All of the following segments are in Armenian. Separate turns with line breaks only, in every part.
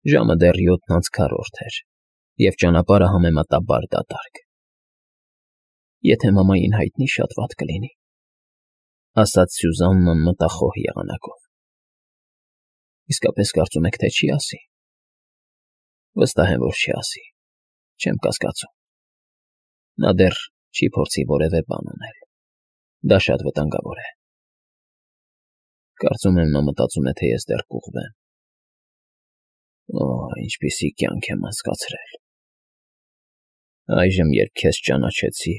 Ժամը դեռ 7:40 էր, և ճանապարհը համեմատաբար դատարկ։ «Եթե մամային հայտնի, շատ վատ կլինի», ֊ ասաց Սյուզաննան մտախոհ եղանակով։ «Իսկապես կարծում եք, թե չի ասի»։ «Վստահ եմ, որ չի ասի, չեմ կասկածում։ Նա դեռ չի փորձի որևէ բան անել, դա շատ վտանգավոր է։ Կարծում եմ, նա մտածում է, թե ես դեռ կուղվեմ։ Օ, ինչպիսի կյանք եմ անցկացրել։ Այժմ, երբ քեզ ճանաչեցի,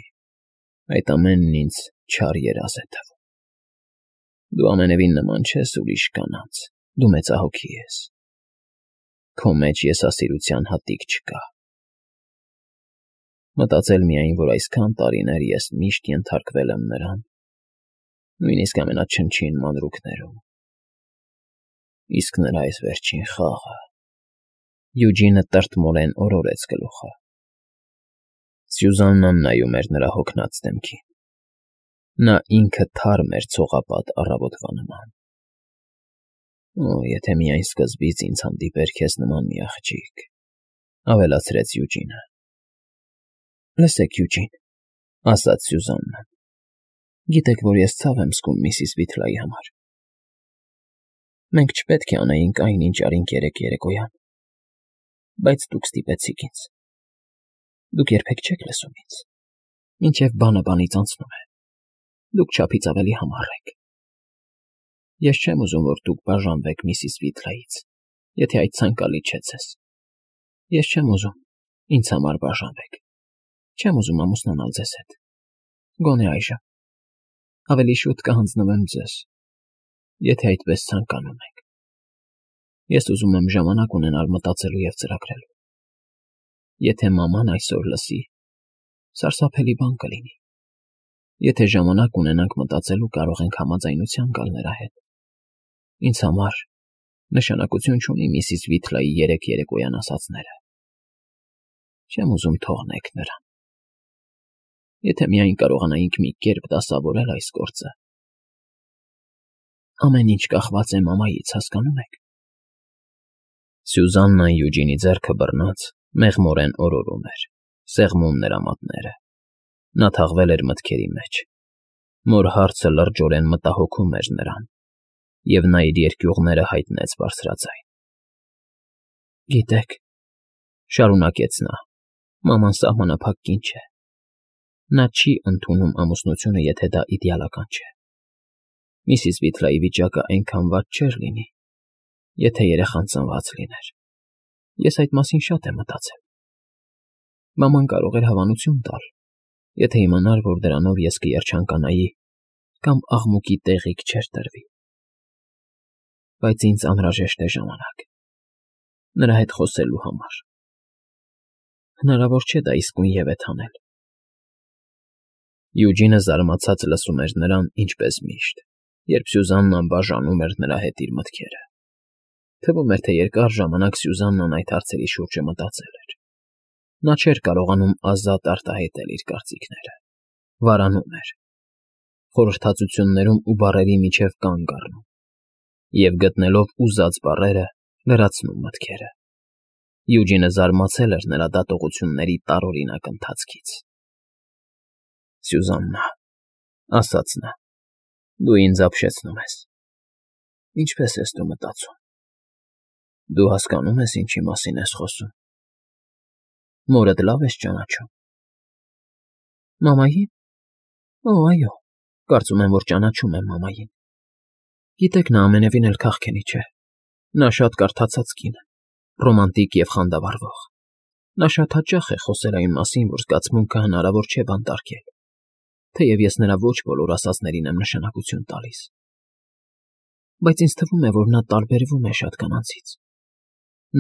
այդ ամենն ինձ չար երազ է թվում։ Դու ամենևին նման չես ուրիշ կանանց, դու մեծահոգի ես։ Քո մեջ եսասիրության հատիկ չկա։ Մտածել միայն, որ այսքան տարիներ ես միշտ ենթարկվել եմ նրան, նույնիսկ ամենաչնչին մանրուքներում։ Իսկ նրա այս վերջին խաղը… Յուջինը տրտմորեն օրորեց գլուխը։ Սյուզաննան նայում էր նրա հոգնած դեմքին։ Նա ինքը թարմ էր ցողապատ առավոտվա նման։ Օ, եթե միայն սկզբից ինձ հանդիպեր քեզ նման մի աղջիկ, ֊ ավելացրեց Յուջինը։ Լսեք, Յուջին, ֊ ասաց Սյուզաննան, գիտեք, որ ես ցավ եմ զգում միսիս Վիթլայի համար։ Մենք չպետք է անեինք այն, ինչ արինք երեկոյան, բայց դուք ստիպեցիք ինձ։ Դուք երբեք չեք լսում ինձ, մինչև բանը բանից անցնում է։ Դուք չափից ավելի համառ եք։ Ես չեմ ուզում, որ դուք բաժանվեք միսիս Վիթլայից, եթե այդ ցանկալի չէ ձեզ։ Ես չեմ ուզում ինձ համար բաժանվեք։ Չեմ ուզում ամուսնանալ ձեզ հետ։ Գոնե այժմ։ Ավելի շուտ կհանձնվեմ ձեզ, եթե այդպես ցանկանում եք։ Ես ուզում եմ ժամանակ ունենալ մտածելու և ծրագրելու։ Եթե մաման այսօր լսի, սարսափելի բան կլինի։ Եթե ժամանակ ունենանք մտածելու, կարող ենք համաձայնության գալ նրա հետ։ Ինձ համար նշանակություն չունի միսիս Վիթլայի երեկոյան ասածները։ Չեմ ուզում թողնեք նրան։ Եթե միայն կարողանայինք մի կերպ դասավորել այս գործը։ Ամեն ինչ կախված է մամայից, հասկանում եք։ Սյուզաննան Յուջինի ձեռքը բռնած մեղմորեն օրորում էր, սեղմում նրա մատները։ Նա թաղվել էր մտքերի մեջ։ Մոր հարցը լրջորեն մտահոգում էր նրան, և նա իր երկյուղները հայտնեց բարձրաձայն։ Գիտեք, ֊ շարունակեց նա, ֊ մաման սահմանափակ կին չէ։ Նա չի ընդունում ամուսնությունը, եթե դա իդեալական չէ։ Միսիս Վիթլայի վիճակը այնքան վատ չէր լինի, եթե երեխան ծնված լիներ։ Ես այդ մասին շատ եմ մտածել։ Մաման կարող էր հավանություն տալ, եթե իմանար, որ դրանով ես կերջանկանայի կամ աղմուկի տեղիք չէր տրվի։ Բայց ինձ անհրաժեշտ է ժամանակ նրա հետ խոսելու համար։ Հնարավոր չէ դա իսկույնևեթ անել։ Յուջինը զարմացած լսում էր նրան, ինչպես միշտ, երբ Սյուզաննան բաժանում էր նրա հետ իր մտքերը։ Թվում էր, թե երկար ժամանակ Սյուզաննան այդ հարցերի շուրջը մտածել էր։ Նա չէր կարողանում ազատ արտահայտել իր կարծիքները։ Վարանում էր։ Խորհրդածություններում ու բառերի միջև կանգ առնում։ Եվ գտնելով ուզած բառերը, լրացնում մտքերը։ Յուջինը զարմացել էր նրա դատողությունների տարօրինակ ընթացքից։ Սյուզաննա, ֊ ասաց նա, ֊ դու ինձ ապշեցնում ես։ Ինչպե՞ս ես դու մտածում։ Դու հասկանո՞ւմ ես, ինչի մասին ես խոսում։ Մորդ լավ ես ճանաչում։ Մամայի՞ն։ Օ, այո, կարծում եմ, որ ճանաչում եմ մամային։ Գիտեք, նա ամենևին էլ քաղքենի չէ։ Նա շատ կարդացած կին է, ռոմանտիկ և խանդավառվող։ Նա շատ հաճախ է խոսել այն մասին, որ զգացմունքը հնարավոր չէ բանտարկել, թեև ես նրա ոչ բոլոր ասածներին եմ նշանակություն տալիս։ Բայց ինձ թվում է, որ նա տարբերվում է շատ կանանցից։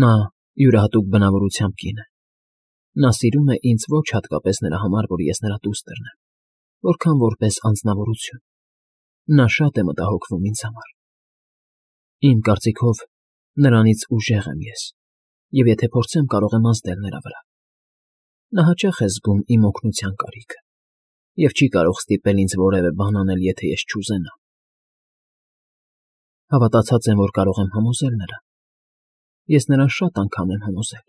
Նա յուրահատուկ բնավորությամբ կին է։ Նա սիրում է ինձ ոչ հատկապես նրա համար, որ ես նրա դուստրն եմ, որքան որպես անձնավորություն։ Նա շատ է մտահոգվում ինձ համար։ Իմ կարծիքով, նրանից ուժեղ եմ ես, և եթե փորձեմ, կարող եմ ազդել նրա վրա։ Նա հաճախ է զգում իմ օգնության կարիքը և չի կարող ստիպել ինձ որևէ բան անել, եթե ես չուզենամ։ Հավատացած եմ, որ կարող եմ համոզել նրան։ Ես նրան շատ անգամ եմ համոզել։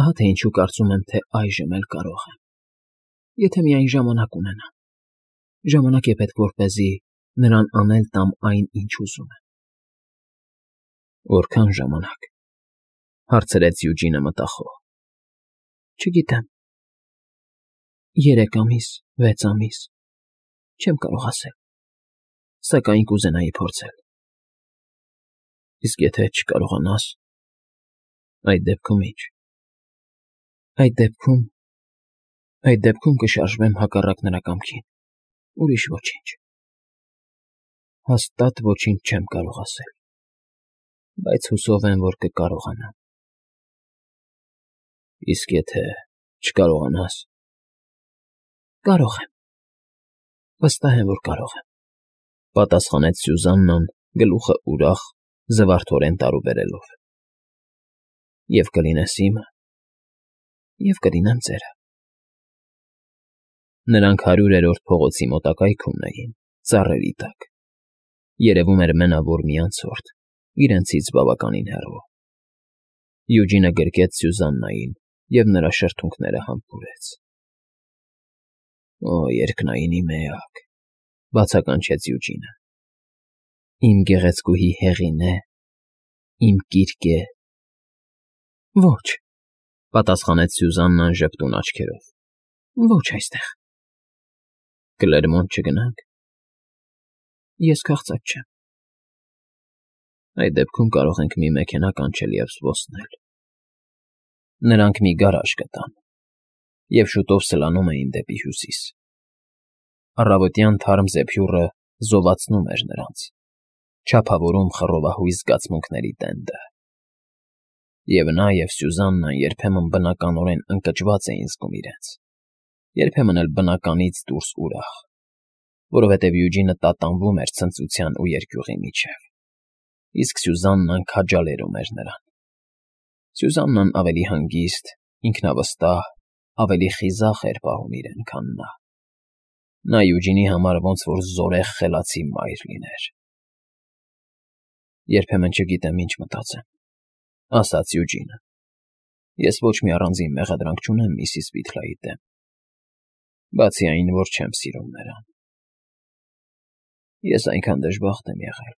Ահա թե ինչու կարծում եմ, թե այժմ էլ կարող եմ։ Եթե միայն ժամանակ ունենամ։ Ժամանակ է պետք, որպեսզի նրան անել տամ այն, ինչ ուզում եմ։ Որքան ժամանակ, հարցրեց Յուջինը մտախոհ։ Չգիտեմ։ 3 ամիս, 6 ամիս, չեմ կարող ասել, սակայն կուզենայի փորձել։ Իսկ եթե չկարողանաս, այդ դեպքում ի՞նչ։ Այդ դեպքում կշարժվեմ հակառակ նրա կամքին, ուրիշ ոչինչ։ Հաստատ ոչինչ չեմ կարող ասել, բայց հուսով եմ, որ կկարողանամ։ Իսկ եթե չկարողանաս։ Կարող եմ։ Վստահ եմ, որ կարող եմ, պատասխանեց Սյուզաննան, գլուխը ուրախ, զվարթորեն տարուբերելով։ Եվ կլինես իմը, և կլինեմ ձերը։ Նրանք 100-րդ փողոցի մոտակայքում էին, ծառերի տակ։ Երևում էր մենավոր մի անցորդ, իրենցից բավականին հեռու։ Յուջինը գրկեց Սյուզաննային և նրա շրթունքները համբուրեց։ Օ, երկնայինի մեակ, բացականչեց Յուջինը։ Իմ գեղեցկուհի Հեղինե, իմ կիրկե։ Ոչ, պատասխանեց Սյուզաննան ժպտուն աչքերով։ Ոչ այստեղ։ Կլերմոնտ չգնանք։ Ես քաղցած չեմ։ Այդ դեպքում կարող ենք մի մեքենա կանչել և զբոսնել։ Նրանք մի գարաժ գտան և շուտով սլանում էին դեպի հյուսիս։ Առավոտյան թարմ զեփյուռը զովացնում էր նրանց, չափավորում խռովահույս զգացմունքների տենդը։ Եվ նա և Սյուզաննան երբեմն բնականորեն ընկճված էին զգում իրենց, երբեմն էլ բնականից դուրս ուրախ, որովհետև Յուջինը տատանվում էր ցնծության ու երկյուղի միջև, իսկ Սյուզաննան քաջալերում էր նրան։ Սյուզաննան ավելի հանգիստ, ինքնավստահ, ավելի խիզախ էր պահում իրեն, քան նա։ Նա Յուջինի համար ոնց որ զորեղ խելացի մայր լիներ։ Երբեմն չգիտեմ ինչ մտածեմ, ասաց Յուջինը։ Ես ոչ մի առանձին մեղադրանք չունեմ միսիս Բիթլայի դեմ, բացի այն, որ չեմ սիրում նրան։ Ես այնքան դժբախտ եմ եղել։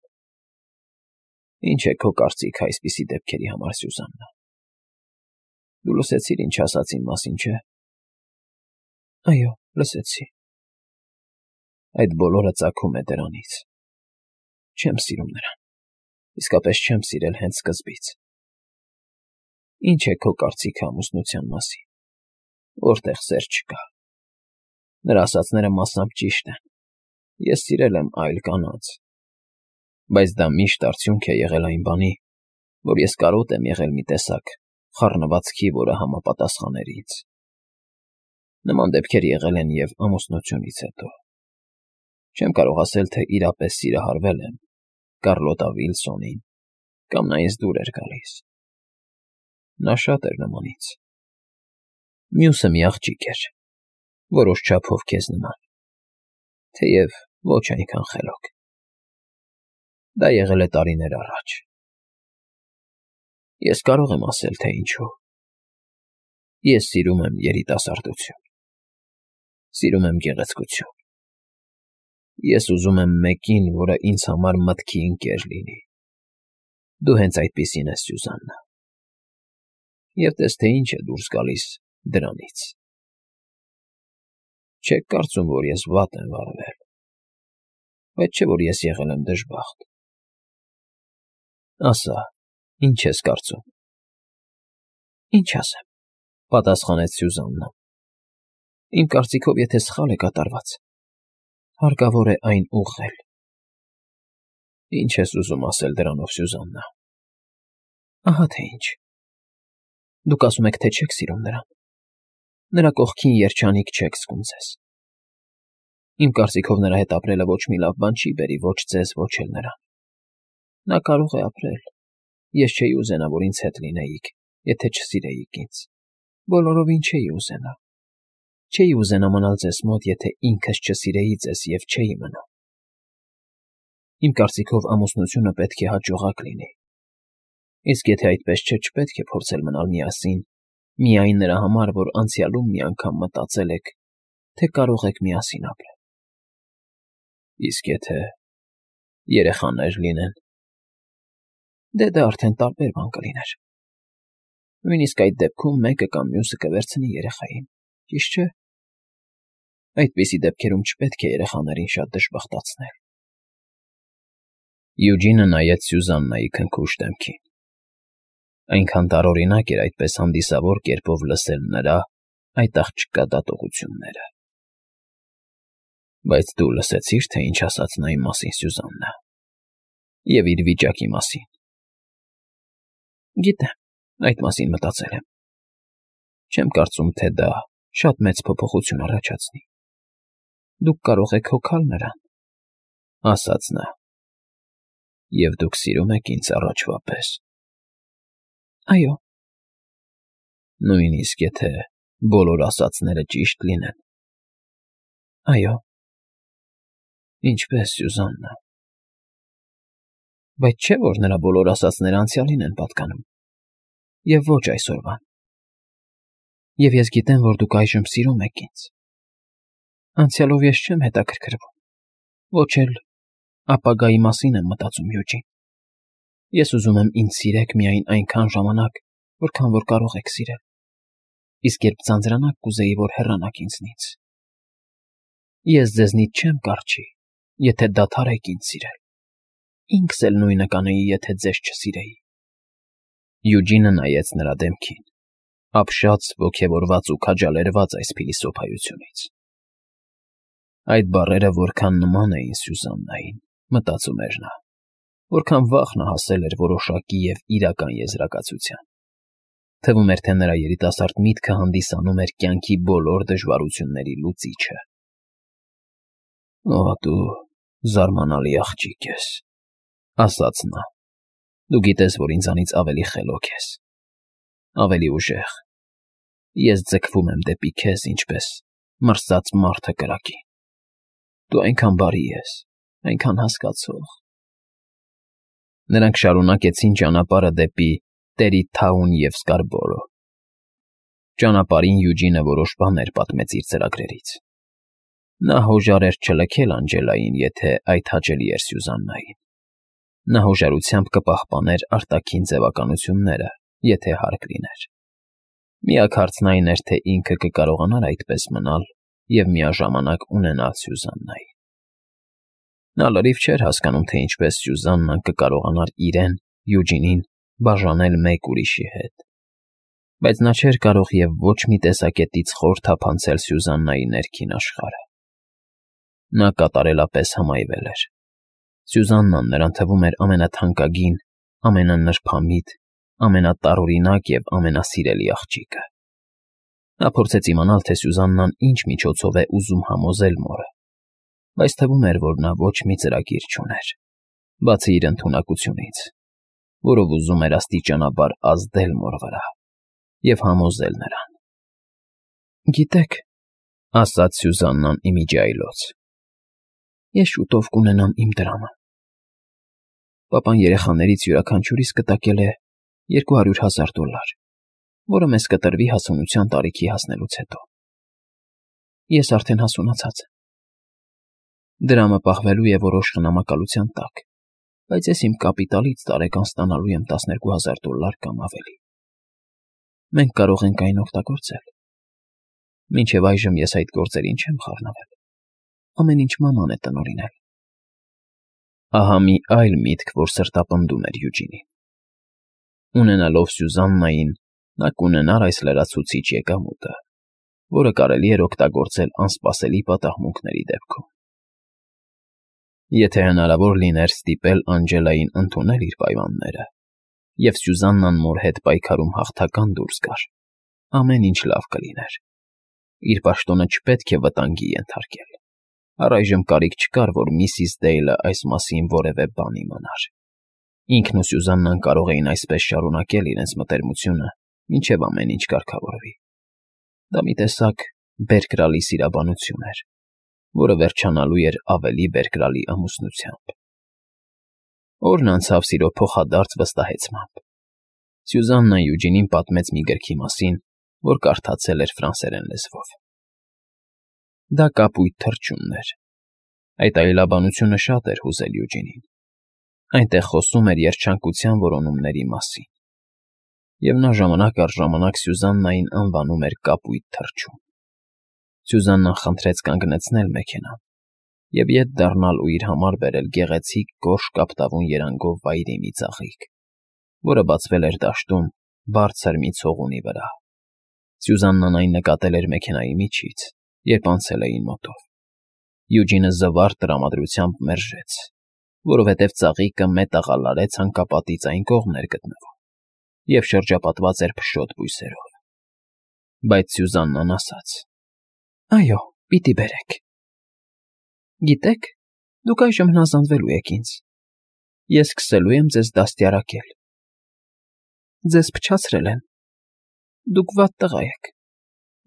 Ինչ է քո կարծիքը այսպիսի դեպքերի համար, Սյուզաննա։ Դու լսեցիր, ինչ ասաց իմ մասին, չէ՞։ Այո, լսեցի։ Այդ բոլորը ծագում է դրանից։ Չեմ սիրում նրան, իսկապես չեմ սիրել հենց սկզբից։ Ինչ է քո կարծիքը ամուսնության մասին, որտեղ սեր չկա։ Նրա ասածները մասամբ ճիշտ են։ Ես սիրել եմ այլ կանանց, բայց դա միշտ արդյունք է եղել այն բանի, որ ես կարոտ եմ եղել մի տեսակ խառնվածքի, որը համապատասխաներ ինձ։ Նման դեպքեր եղել են և ամուսնությունից հետո։ Չեմ կարող ասել, թե իրապես սիրահարվել եմ Կարլոտա Վիլսոնին, կամ նա ինձ դուր էր գալիս։ Նա շատ էր նման ինձ։ Մյուսը մի աղջիկ էր, որոշ չափով քեզ նման, թեև ոչ այնքան խելոք։ Դա եղել է տարիներ առաջ։ Ես կարող եմ ասել, թե ինչու։ Ես սիրում եմ երիտասարդություն։ Սիրում եմ գեղեցկություն։ Ես ուզում եմ մեկին, որը ինձ համար մտքի ընկեր լինի։ Դու հենց այդպիսին ես, Սյուզաննա։ Եվ տես, թե ինչ է դուրս գալիս դրանից։ Չեք կարծում, որ ես վատ եմ վարվել, բայց չէ, որ ես եղել եմ դժբախտ։ Ասա, ինչ ես կարծում։ Ինչ ասեմ, պատասխանեց Սյուզաննան։ Իմ կարծիքով, եթե սխալ է կատարված, հարկավոր է այն ուղղել։ Ինչ ես ուզում ասել դրանով, Սյուզաննա։ Ահա թե ինչ։ Դուք ասում եք, թե չեք սիրում նրան։ Նրա կողքին երջանիկ չեք զգում ձեզ։ Իմ կարծիքով նրա հետ ապրելը ոչ մի լավ բան չի բերի ոչ ձեզ, ոչ էլ նրան։ Նա կարող է ապրել։ Ես չէի ուզենա, որ ինձ հետ լինեիք, եթե չսիրեիք ինձ։ Բոլորովին չէի ուզենա։ Չէի ուզենա մնալ ձեզ մոտ, եթե ինքս չսիրեի ձեզ և չէի մնա։ Իմ կարծիքով ամուսնությունը պետք է հաջողակ լինի։ Իսկ եթե այդպես չէ, չպետք է փորձել մնալ միասին, միայն նրա համար, որ անցյալում մի անգամ մտածել եք, թե կարող եք միասին ապրել։ Իսկ եթե երեխաներ լինեն, դա արդեն տարբեր բան կլիներ։ Նույնիսկ այդ դեպքում մեկը կամ մյուսը կվերցնի երեխային, ճիշտ չէ։ Այդպիսի դեպքերում չպետք է երեխաներին շատ դժբախտացնել։ Յուջինը նայեց Սյուզաննայի քնքուշ դեմքին։ Այնքան տարօրինակ էր այդպես հանդիսավոր կերպով լսել նրա այդ աղջկա դատողությունները։ Բայց դու լսեցի՞ր, թե ինչ ասաց նա իմ մասին, Սյուզաննա, և իր վիճակի մասին։ Գիտեմ, այդ մասին մտածել եմ։ Չեմ կարծում, թե դա շատ մեծ փոփոխություն առաջացնի։ Դուք կարող եք հոգալ նրան, ասաց նա։ Եվ դուք սիրում եք ինձ առաջվա պես։ Այո։ Նույնիսկ եթե բոլոր ասածները ճիշտ լինեն։ Այո։ Ինչպես, Սյուզաննա։ Բայց չէ՞ որ նրա բոլոր ասածները անցյալին են պատկանում, և ոչ այսօրվան։ Եվ ես գիտեմ, որ դուք այժմ սիրում եք ինձ։ Անցյալով ես չեմ հետաքրքրվում, ոչ էլ ապագայի մասին եմ մտածում, Յուջին։ Ես ուզում եմ ինձ սիրեք միայն այնքան ժամանակ, որքան որ կարող եք սիրել, իսկ երբ ձանձրանաք, կուզեի, որ հեռանաք ինձնից։ Ես ձեզնից չեմ կառչի, եթե դադարեք ինձ սիրել։ Ինքս էլ նույնը կանեի, եթե ձեզ չսիրեի։ Յուջինը նայեց նրա դեմքին, ապշած, ոգևորված ու քաջալերված այս փիլիսոփայությունից։ Այդ բառերը որքան նման էին Սյուզաննային, մտածում էր նա, որքան վաղ նա հասել էր որոշակի և իրական եզրակացության։ Թվում էր, թե նրա երիտասարդ միտքը հանդիսանում էր կյանքի բոլոր դժվարությունների լուծիչը։ Օ, դու զարմանալի աղջիկ ես, ասաց նա։ Դու գիտես, որ ինձանից ավելի խելոք ես, ավելի ուժեղ։ Ես ձգվում եմ դեպի քեզ, ինչպես մրսած մարդը կրակին։ Դու այնքան բարի ես, այնքան հասկացող։ Նրանք շարունակեցին ճանապարհը դեպի Տերիթաուն և Սկարբորո։ Ճանապարհին Յուջինը որոշ բաներ պատմեց իր ծրագրերից։ Նա հոժար էր չլքել Անջելային, եթե այդ հաճելի էր Սյուզաննային։ Նա հոժարությամբ կպահպաներ արտաքին ձևականությունները, եթե հարկ լիներ։ Միակ հարցն այն էր, թե ինքը կկարողանար այդպես մնալ և միաժամանակ ունենալ Սյուզաննային։ Նա լրիվ չէր հասկանում, թե ինչպես Սյուզաննան կկարողանար իրեն, Յուջինին, բաժանել մեկ ուրիշի հետ։ Բայց նա չէր կարող և ոչ մի տեսակետից խոր թափանցել Սյուզաննայի ներքին աշխարհը։ Նա կատարելապես հմայվել էր։ Սյուզաննան նրան թվում էր ամենաթանկագին, ամենանրբամիտ, ամենատարօրինակ և ամենասիրելի աղջիկը։ Նա փորձեց իմանալ, թե Սյուզաննան ինչ միջոցով է ուզում համոզել մորը, բայց թվում էր, որ նա ոչ մի ծրագիր չուներ, բացի իր ընդունակությունից, որով ուզում էր աստիճանաբար ազդել մոր վրա և համոզել նրան։ Գիտեք, ասաց Սյուզաննան իմիջիայլոց, ես շուտով կունենամ իմ դրամը։ Պապան երեխաներից յուրաքանչյուրիս կտակել է $200,000, որը մեզ կտրվի հասունության տարիքի հասնելուց հետո։ Ես արդեն հասունացած եմ։ Դրամը պահվելու է որոշ խնամակալության տակ, բայց ես իմ կապիտալից տարեկան ստանալու եմ $12,000 կամ ավելի։ Մենք կարող ենք այն օգտագործել։ Մինչև այժմ ես այդ գործերին չեմ խառնվել։ Ամեն ինչ մաման է տնօրինել։ Ահա մի այլ միտք, որ սրտապնդում էր Յուջինին։ Ունենալով Սյուզաննային, նա կունենար այս լրացուցիչ եկամուտը, որը կարելի էր օգտագործել անսպասելի պատահմունքների դեպքում։ Եթե հնարավոր լիներ ստիպել Անջելային ընդունել իր պայմանները, և Սյուզաննան մոր հետ պայքարում հաղթական դուրս գար, ամեն ինչ լավ կլիներ։ Իր պաշտոնը չպետք է վտանգի ենթարկել։ Առայժմ կարիք չկար, որ միսիս Դեյլը այս մասին որևէ բան իմանար։ Ինքն ու Սյուզաննան կարող էին այսպես շարունակել իրենց մտերմությունը, մինչև ամեն ինչ կարգավորվի։ Դա մի տեսակ բերկրալի սիրաբանություն էր, որը վերջանալու էր ավելի բերկրալի ամուսնությամբ։ Օրն անցավ սիրո փոխադարձ վստահեցմամբ, Սյուզաննան Յուջինին պատմեց մի գրքի մասին, որ կարդացել էր ֆրանսերեն լեզվով։ Դա կապույտ թռչունն էր։ Այդ այլաբանությունը շատ էր հուզել Յուջինին։ Այնտեղ խոսում էր երջանկության որոնումների մասին։ Եվ նա ժամանակ առ ժամանակ Սյուզաննային անվանում էր կապույտ թռչուն։ Սյուզաննան խնդրեց կանգնեցնել մեքենան և ետ դառնալ ու իր համար բերել գեղեցիկ գորշ կապտավուն երանգով վայրի մի ծաղիկ, որը բացվել էր դաշտում բարձր մի ցողունի վրա։ Սյուզաննան այն նկատել էր մեքենայի միջից, երբ անցել էին մոտով։ Յուջինը զվարթ տրամադրությամբ մերժեց, որովհետև ծաղիկը մետաղալարեց հանկապատից այն կողմն էր գտնվում և շրջապատված էր փշոտ բույսերով։ Բայց Սյուզաննան ասաց. «Այո, պիտի բերեք։ Գիտեք, դուք այժմ հնազանդվելու եք ինձ։ Ես սկսելու եմ ձեզ դաստիարակել։ Ձեզ փչացրել են։ Դուք վատ տղա եք։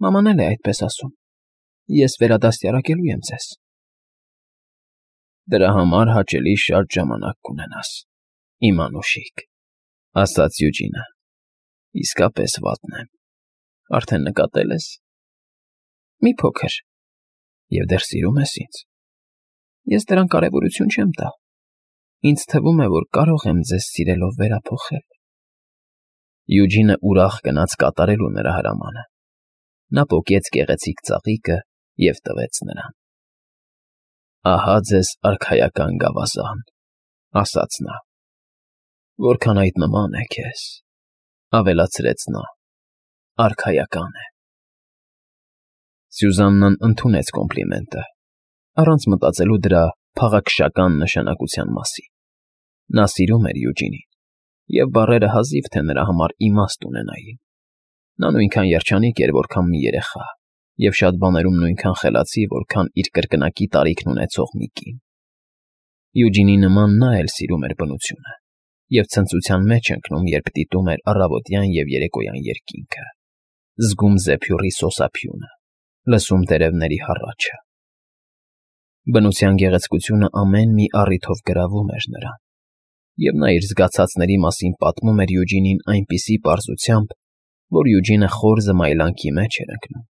Մաման էլ է այդպես ասում։ Ես վերադաստիարակելու եմ ձեզ»։ Դրա համար հաճելի շատ ժամանակ կունենաս, իմ անուշիկ, ասաց Յուջինը։ Իսկապես վատն եմ։ Արդեն նկատել ես։ Մի փոքր։ Եվ դեռ սիրում ես ինձ։ Ես դրան կարևորություն չեմ տա։ Ինձ թվում է, որ կարող եմ ձեզ սիրելով վերափոխել։ Յուջինը ուրախ գնաց կատարելու նրա հրամանը։ Նա պոկեց գեղեցիկ ծաղիկը և տվեց նրան։ Ահա ձեզ արքայական գավազան, ասաց նա։ Որքան այդ նման է քեզ, ավելացրեց նա, արքայական է։ Սյուզաննան ընդունեց կոմպլիմենտը, առանց մտածելու դրա փաղաքշական նշանակության մասին։ Նա սիրում էր Յուջինին, և բառերը հազիվ թե նրա համար իմաստ ունենային։ Նա նույնքան երջանիկ էր, որքան մի երեխա, և շատ բաներում նույնքան խելացի, որքան իր կրկնակի տարիքն ունեցող մի կին։ Յուջինի նման նա էլ սիրում էր բնությունը և ցնծության մեջ ընկնում, երբ դիտում էր առավոտյան և երեկոյան երկինքը, զգում զեփյուռի սոսափյունը, լսում տերևների հառաչը։ Բնության գեղեցկությունը ամեն մի առիթով գրավում էր նրան, և նա իր զգացածների մասին պատմում էր Յուջինին այնպիսի պարզությամբ, որ Յուջինը խոր զմայլանքի մեջ էր ընկնում։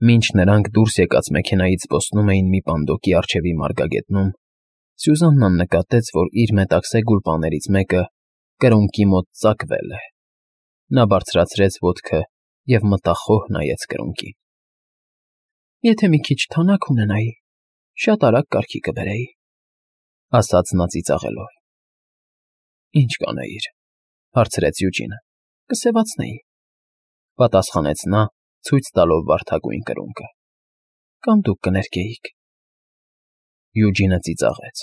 Մինչ նրանք դուրս եկած մեքենայից զբոսնում էին մի պանդոկի առջևի մարգագետնում, Սյուզաննան նկատեց, որ իր մետաքսե գուլպաներից մեկը կրունկի մոտ ծակվել է։ Նա բարձրացրեց ոտքը և մտախոհ նայեց կրունկին։ Եթե մի քիչ թանաք ունենայի, շատ արագ կարգի կբերեի, ասաց նա ծիծաղելով։ Ինչ կանեիր, հարցրեց Յուջինը։ Կսևացնեի, պատասխանեց նա, ցույց տալով վարդագույն կրունկը։ Կամ դուք կներկեիք։ Յուջինը ծիծաղեց,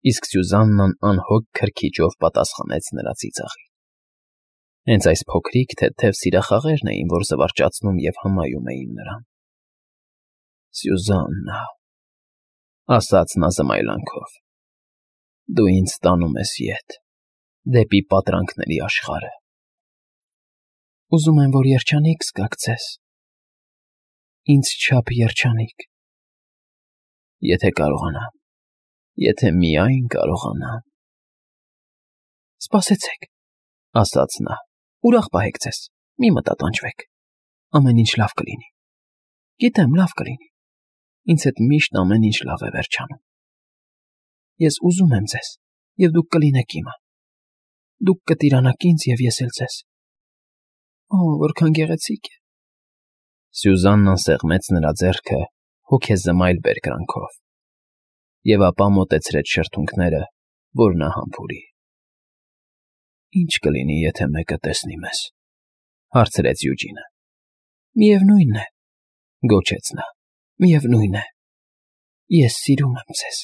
իսկ Սյուզաննան անհոգ քրքիջով պատասխանեց նրա ծիծաղին։ Հենց այս փոքրիկ թեթև սիրախաղերն էին, որ զվարճացնում և հմայում էին նրան։ Սյուզաննա, ասաց նա զմայլանքով, դու ինձ տանում ես ետ, դեպի պատրանքների աշխարհը։ Ուզում եմ, որ երջանիկ զգաք ձեզ, ինձ չափ երջանիկ։ Եթե կարողանամ, եթե միայն կարողանամ։ Սպասեցեք, ասաց նա, ուրախ պահեք ձեզ, մի մտատանջվեք, ամեն ինչ լավ կլինի։ Գիտեմ, լավ կլինի, ինձ հետ միշտ ամեն ինչ լավ է վերջանում։ Ես ուզում եմ ձեզ, և դուք կլինեք իմը։ Դուք կտիրանաք ինձ, և ես էլ ձեզ։ Օ, որքան գեղեցիկ է։ Սյուզաննան սեղմեց նրա ձեռքը հոգեզմայլ բերկրանքով և ապա մոտեցրեց շրթունքները, որ նա համբուրի։ Ինչ կլինի, եթե մեկը տեսնի մեզ, հարցրեց Յուջինը։ Միևնույն է, գոչեց նա, միևնույն է, ես սիրում եմ ձեզ։